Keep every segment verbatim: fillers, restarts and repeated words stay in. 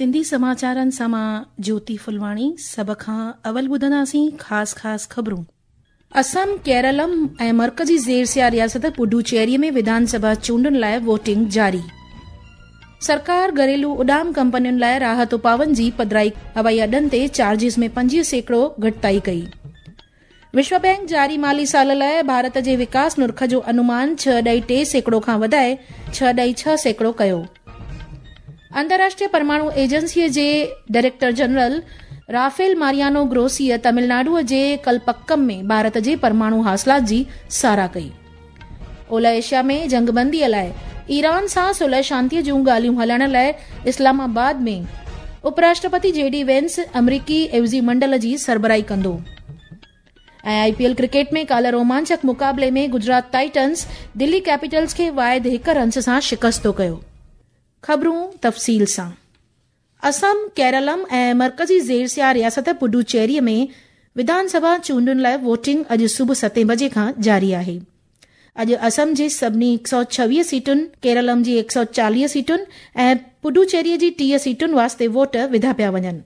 सिंधी समाचारनि सां मां ज्योति फुलवाणी। सभ खां अवल ॿुधंदासीं ख़ासि ख़ासि ख़बरूं। असम, केरलम ऐं मर्कज़ी ज़ेर रियासत पुडुचेरी में विधानसभा चूंडुनि लाइ वोटिंग जारी। सरकार घरेलू उॾाम कंपनियुनि लाइ राहत उपाउनि जी पधराई, हवाई अॾनि ते चार्जिस में पंजवीह सैकड़ो घटिताई कई। विश्व बैंक जारी माली साल लाइ भारत जे विकास नुर्ख जो अनुमान छह ॾाई टे सैकड़ो खां वधाए छह ॾाई छह सैकड़ो कयो। अंतर्राष्ट्रीय परमाणु एजेंसीअ जे डायरेक्टर जनरल राफेल मारियानो ग्रोसीअ तमिलनाडुअ जे कलपक्कम में भारत जे परमाणु हासिलात जी सराह कई। ओलह एशिया में जंगबंदीअ लाइ ईरान सां सुलह शांतीअ जूं ॻाल्हियूं हलाइण लाइ इस्लामाबाद में उपराष्ट्रपति जे डी वेंस अमरीकी एवज़ी मंडल जी सरबराही कंदो। ऐं I P L cricket में काल्ह रोमांचक मुक़ाबले में गुजरात टाइटन्स दिल्ली कैपिटल्स खे वाहिद हिकु रन्स सां शिकस्तो कयो। ख़बरूं तफ़सील सां। असम, केरलम ऐं मर्कज़ी ज़ेर रियासत पुडुचेरी में विधानसभा चूंडुनि लाइ वोटिंग अॼु सुबुह सतें बजे खां जारी आहे। अॼु असम जे सभिनी हिकु सौ छवीह सीटुनि, केरलम जी हिकु सौ चालीह सीटुनि ऐं पुडुचेरी जी टीह सीटुनि वास्ते वोट विधा पिया वञनि।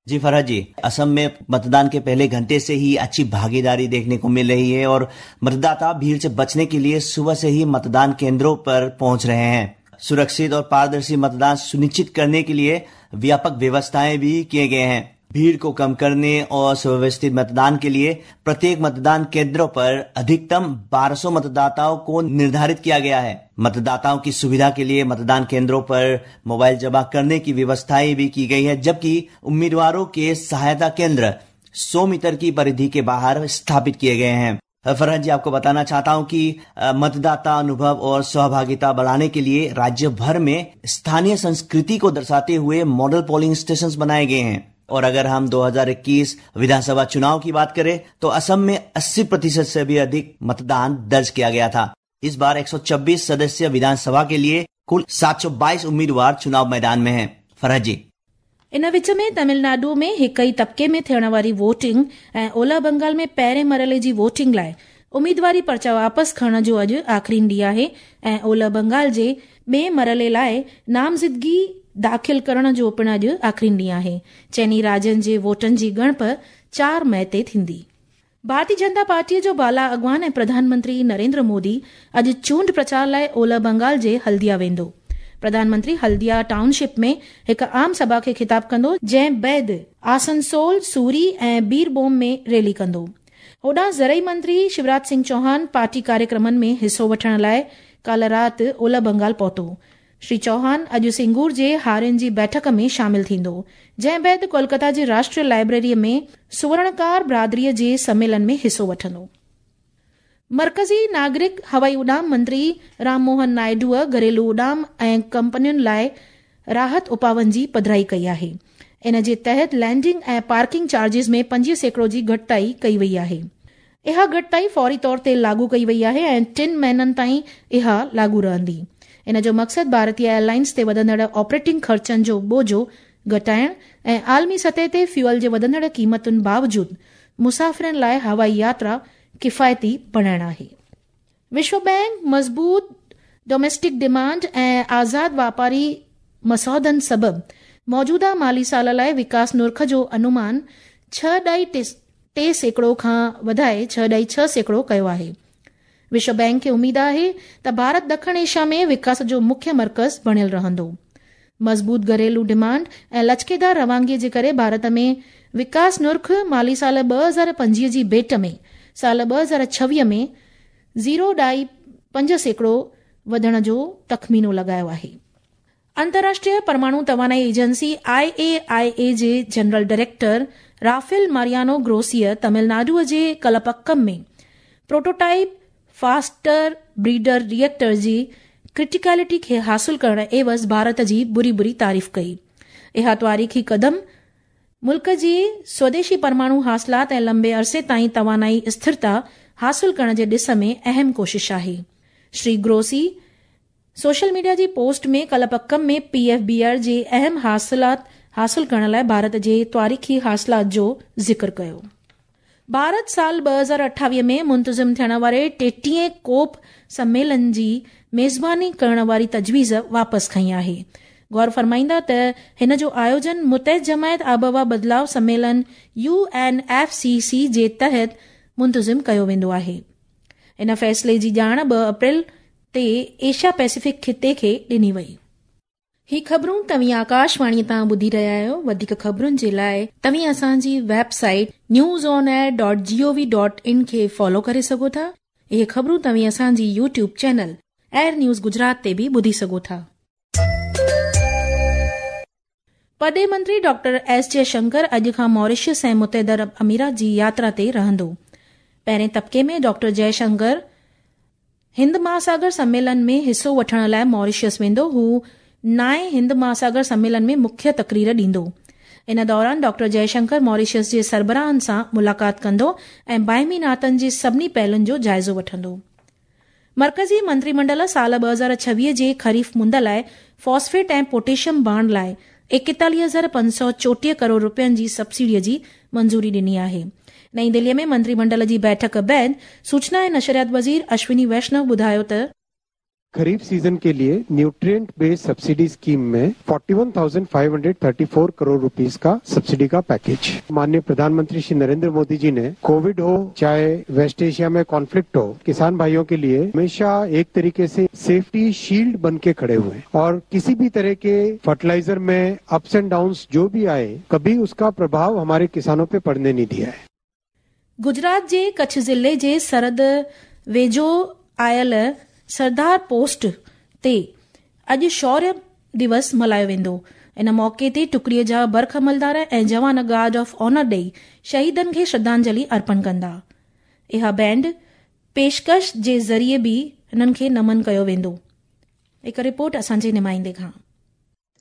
जी फरहत जी, असम में मतदान के पहले घंटे से ही अच्छी भागीदारी देखने को मिल रही है और मतदाता भीड़ से बचने के लिए सुबह से ही मतदान केंद्रों पर पहुंच रहे हैं। सुरक्षित और पारदर्शी मतदान सुनिश्चित करने के लिए व्यापक व्यवस्थाएं भी किए गए हैं। भीड़ को कम करने और सुव्यवस्थित मतदान के लिए प्रत्येक मतदान केंद्रों पर अधिकतम बारह सौ मतदाताओं को निर्धारित किया गया है। मतदाताओं की सुविधा के लिए मतदान केंद्रों पर मोबाइल जमा करने की व्यवस्थाएं भी की गई है, जबकि उम्मीदवारों के सहायता केंद्र सौ मीटर की परिधि के बाहर स्थापित किए गए हैं। फरहत जी, आपको बताना चाहता हूं कि मतदाता अनुभव और सहभागिता बढ़ाने के लिए राज्य भर में स्थानीय संस्कृति को दर्शाते हुए मॉडल पोलिंग स्टेशंस बनाए गए हैं। और अगर हम दो हज़ार इक्कीस विधानसभा चुनाव की बात करें तो असम में अस्सी प्रतिशत से भी अधिक मतदान दर्ज किया गया था। इस बार एक सौ छब्बीस सदस्य विधानसभा के लिए कुल सात सौ बाईस उम्मीदवार चुनाव मैदान में हैं। फरहत जी, इन विच में तमिलनाडु में हिकु ई तबके में थियण वारी वोटिंग ऐं ओलह बंगाल में पहिरें मरहले जी वोटिंग लाइ उम्मीदवारी पर्चा वापसि खणण जो अॼु आख़िरी ॾींहुं आहे ऐं ओलह बंगाल जे ॿिए मरहले लाइ नामज़दगी दाख़िल करण जो पिणु अॼु आख़िरी ॾींहुं आहे। चइनी राज्यनि जे वोटनि जी ॻणप चार मई ते थींदी। भारतीय जनता पार्टीअ जो बाला अॻवान ऐं प्रधानमंत्री नरेंद्र मोदी अॼु चूंड प्रचार लाइ ओलह बंगाल जे हल्दिया वेंदो। प्रधानमंत्री हल्दिया टाउनशिप में हिकु आम सभा खे खिताब कंदो, जंहिं बाद आसनसोल, सूरी ऐं बीरबोम में रैली कंदो। होॾां ज़रई मंत्री शिवराज सिंह चौहान पार्टी कार्यक्रमनि में हिसो वठण लाइ काल्ह राति ओलह बंगाल पहुतो। श्री चौहान अॼु सिंगूर जे हारियुनि जी बैठक में शामिल थींदो, जंहिं बाद कोलकाता जे राष्ट्रीय लाइब्रेरीअ में सुवर्णकार बिरादरीअ जे सम्मेलन में हिसो वठंदो। मर्कज़ी नागरिक हवाई उॾाम मंत्री राम मोहन नायडूअ घरेलू उॾाम ऐं कंपनियुनि लाइ राहत उपाउनि जी पधराई कई आहे। इन जे तहत लैंडिंग ऐं पार्किंग चार्जिस में पंजवीह सैकड़ो जी घटिताई कई वई आहे। इहा घटिताई फौरी तौर ते लागू कई वई आहे ऐं टिनि महीननि ताईं इहा लागू रहंदी। इन जो मक़सदु भारतीय एयरलाइंस ते वधंदड़ ऑपरेटिंग ख़र्चनि जो बोझो घटाइण ऐं आलमी सतह ते फ्यूअल जे वधंदड़ क़ीमतुनि बावजूद मुसाफ़िरनि लाइ हवाई यात्रा किफ़ायती बणाइण आहे। विश्व बैंक मज़बूत डोमेस्टिक डिमांड ऐं आज़ाद वापारी मसौदनि सबबु मौजूदा माली साल लाइ विकास नुर्ख जो अनुमान छह ॾाई टे सैकड़ो खां वधाए छह ॾाई छह सैकड़ो कयो आहे। विश्व बैंक खे उम्मीद आहे त भारत ॾखण एशिया में विकास जो मुख्य मर्कज़ बणियल रहंदो। मज़बूत घरेलू डिमांड ऐं लचकेदार रवानगीअ जे करे भारत में विकास नुर्ख माली साल ॿ हज़ार पंजवीह जी भेट में साल ॿ हज़ार छवीह में ज़ीरो ॾाई पंज सैकड़ो वधण जो तख़मीनो लॻायो आहे। अंतर्राष्ट्रीय परमाणु तवानाई agency I A I A जे जनरल डायरेक्टर राफेल मारियानो ग्रोसीअ तमिलनाडुअ जे कलपक्कम में प्रोटोटाइप फास्टर ब्रीडर रिएक्टर जी क्रिटिकलिटी खे हासिल करण एवज़ भारत जी बुरी बुरी तारीफ़ कई। इहा तारीख़ी कदम मुल्क जी स्वदेशी परमाणु हासिलात ऐं लंबे अरसे ताईं तवानाई स्थिरता हासिल करण जे ॾिस में अहम कोशिश आहे। श्री ग्रोसी सोशल मीडिया जी पोस्ट में कलपक्कम में पी एफ बी आर जे अहम हासिलात हासिल करण लाइ भारत जे तारीख़ी हासिलात जो ज़िक्र कयो। भारत साल ॿ हज़ार अठावीह में मुंतज़िम थियण वारे टेटीहें कोप सम्मेलन जी मेज़बानी करण वारी तजवीज़ वापसि खई आहे। गौर फरमाईंदा त हिन जो आयोजन मुतहद जमायत आबहवा बदिलाव सम्मेलन U N F C C जे तहत मुंतज़िम कयो वेंदो आहे। इन फ़ैसिले जी ॼाण ॿ अप्रैल ते एशिया पैसिफिक खिते खे ॾिनी वई। ही ख़बरूं तव्हीं आकाशवाणी तां ॿुधी रहिया आहियो। वधीक ख़बरुनि जे लाइ तव्हीं असांजी website news on air dot G O V dot in खे फॉलो करे सघो था। इहे ख़बरूं तव्हीं असांजी YouTube channel AIR news Gujarat ते बि ॿुधी सघो था। परॾेह मंत्री डॉक्टर एस जयशंकर अॼु खां मॉरिशस ऐं मुतहद अरब अमीरात जी यात्रा ते रहंदो। पहिरें तबके में डॉक्टर जयशंकर हिंद महासागर सम्मेलन में हिसो वठण लाइ मॉरिशस वेंदो। हू नाए हिंद महासागर सम्मेलन में मुख्य तकरीर ॾींदो। इन दौरान डॉक्टर जयशंकर मॉरिशस जे सरबराहनि सां मुलाक़ात कंदो ऐं बाहिमी नातनि जे सभिनी पहलुनि जो जाइज़ो वठंदो। मर्कज़ी मंत्रीमंडल साल ॿ हज़ार छवीह जे ख़रीफ़ मुंद लाइ फॉस्फेट ऐं पोटेशियम भाण लाइ एकतालीह हज़ार पंज सौ चोटीह करोड़ रुपयनि जी सब्सिडीअ जी मंज़ूरी ॾिनी आहे। नई दिल्लीअ में मंत्रीमंडल जी बैठक बाद सूचना ऐं नशरियात वज़ीर अश्विनी वैष्णव ॿुधायो त खरीफ सीजन के लिए न्यूट्रिएंट बेस्ड सब्सिडी स्कीम में इकतालीस हज़ार पाँच सौ चौंतीस करोड़ रुपीस का सब्सिडी का पैकेज माननीय प्रधानमंत्री श्री नरेंद्र मोदी जी ने कोविड हो चाहे वेस्ट एशिया में कॉन्फ्लिक्ट हो, किसान भाइयों के लिए हमेशा एक तरीके से सेफ्टी शील्ड बन के खड़े हुए और किसी भी तरह के फर्टिलाइजर में अप्स एंड डाउन्स जो भी आए कभी उसका प्रभाव हमारे किसानों पे पड़ने नहीं दिया है। गुजरात जे कच्छ ज़िले जे सरहद वेझो आयल सरदार पोस्ट ते अॼु शौर्य दिवस मल्हायो वेंदो। इन मौक़े ते टुकड़ीअ जा बर्ख अमलदार ऐं जवान गार्ड ऑफ ऑनर ॾेई शहीदनि खे श्रद्धांजलि अर्पण कंदा। इहा बैंड पेशकश जे ज़रिए बि हिननि खे नमन कयो वेंदो। हिकु रिपोर्ट असांजे नुमाइंदे खां।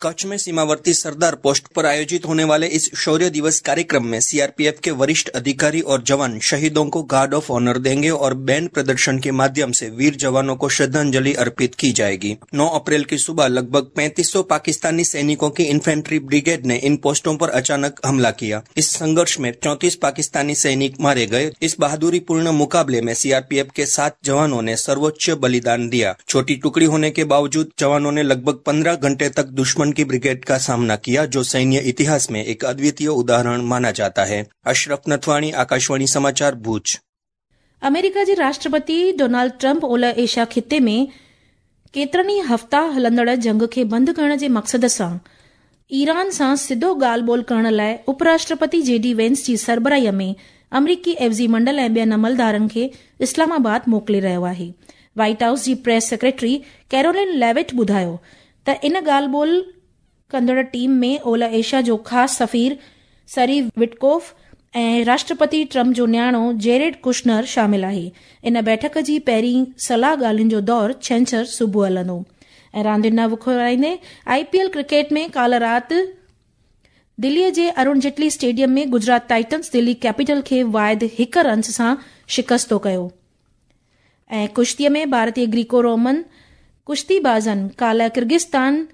कच्छ में सीमावर्ती सरदार पोस्ट पर आयोजित होने वाले इस शौर्य दिवस कार्यक्रम में सीआरपीएफ के वरिष्ठ अधिकारी और जवान शहीदों को गार्ड ऑफ ऑनर देंगे और बैंड प्रदर्शन के माध्यम से वीर जवानों को श्रद्धांजलि अर्पित की जाएगी। नौ अप्रैल की सुबह लगभग पैंतीस सौ पाकिस्तानी सैनिकों की इन्फेंट्री ब्रिगेड ने इन पोस्टों पर अचानक हमला किया। इस संघर्ष में चौंतीस पाकिस्तानी सैनिक मारे गए। इस बहादुरीपूर्ण मुकाबले में सीआरपीएफ के सात जवानों ने सर्वोच्च बलिदान दिया। छोटी टुकड़ी होने के बावजूद जवानों ने लगभग पंद्रह घंटे तक दुश्मन की ब्रिगेड का सामना किया, जो सैन्य इतिहास में एक अद्वितीय उदाहरण माना जाता है। अशरफ नथवाणी, आकाशवाणी समाचार, भुज। अमेरिका जे राष्ट्रपति डोनाल्ड ट्रंप ओलह एशिया खिते में केतिरनि ई हफ़्ता हलंदड़ जंग खे बंदि करण जे मक़सद सां ईरान सां सिधो ॻाल्हि ॿोल करण लाइ उपराष्ट्रपति जे डी वेंस जी सरबराहीअ में अमरीकी एवज़ी मंडल ऐं ॿियनि अमलदारनि खे इस्लामाबाद मोकिले रहियो आहे। व्हाइट हाउस जी प्रेस सेक्रेटरी कैरोलिन लेविट ॿुधायो त इन ॻाल्हि ॿोल कंदड़ टीम में ओलह एशिया जो ख़ासि सफ़ीर सरी विटकोफ ऐं राष्ट्रपति ट्रंप जो नियाणो जेरेड कुशनर शामिल आहे। इन बैठक जी पहिरीं सलाह ॻाल्हियुनि जो दौर छंछर सुबुह हलंदो। ऐं रांदियुनि ॾांहुं वुखुराईंदे I P L cricket में काल्ह राति दिल्लीअ जे अरुण जेटली स्टेडियम में गुजरात टाइटन्स दिल्ली कैपिटल खे वाहिद हिकु रन्स सां शिकस्तो कयो। ऐं कुश्तीअ में भारतीय ग्रीको रोमन कुश्तीबाज़नि काल्ह किर्गिस्तान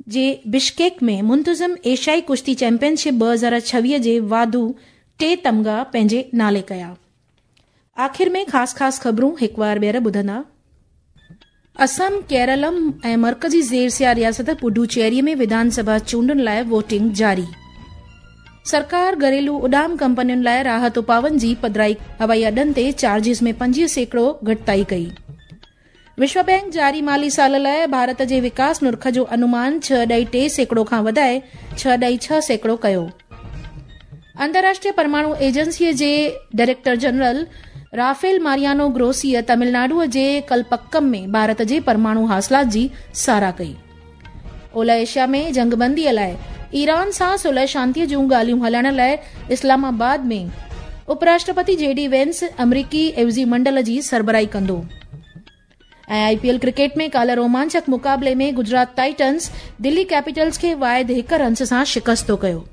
जे बिश्केक में मुंतज़िम एशियाई कुश्ती चैंपियनशिप ॿ हज़ार छवीह जे वाधू टे तमगा पंहिंजे नाले कया। आख़िर में ख़ासि ख़ासि ख़बरूं हिकु वार ॿीहर ॿुधंदा। असम, केरलम ऐं मर्कज़ी ज़ेर रियासत पुडुचेरी में विधानसभा चूंडुनि लाइ वोटिंग जारी। सरकार घरेलू उॾाम कंपनियुनि लाइ राहत उपाउनि जी पधराई, हवाई अॾनि ते चार्जिस में पंजवीह सैकड़ो घटिताई कई। विश्व बैंक जारी माली साल लाइ भारत जे विकास नुर्ख जो अनुमान छह ॾाई टे सैकड़ो खां वधाए छह ॾाई छह सैकड़ो कयो। अंतर्राष्ट्रीय परमाणु एजेंसीअ जे डायरेक्टर जनरल राफेल मारियानो ग्रोसीअ तमिलनाडुअ जे कलपक्कम में भारत जे परमाणु हासिलात जी सराह कई। ओलह एशिया में जंगबंदीअ लाइ ईरान सां सुलह शांतीअ जूं ॻाल्हियूं हलाइण लाइ इस्लामाबाद में उपराष्ट्रपति जे डी वेंस अमरीकी एवज़ी मंडल जी सरबराही कंदो। ऐं I P L cricket में काल्ह रोमांचक मुक़ाबले में गुजरात टाइटन्स दिल्ली कैपिटल्स खे वाहिद हिकु रन्स सां शिकस्तो कयो।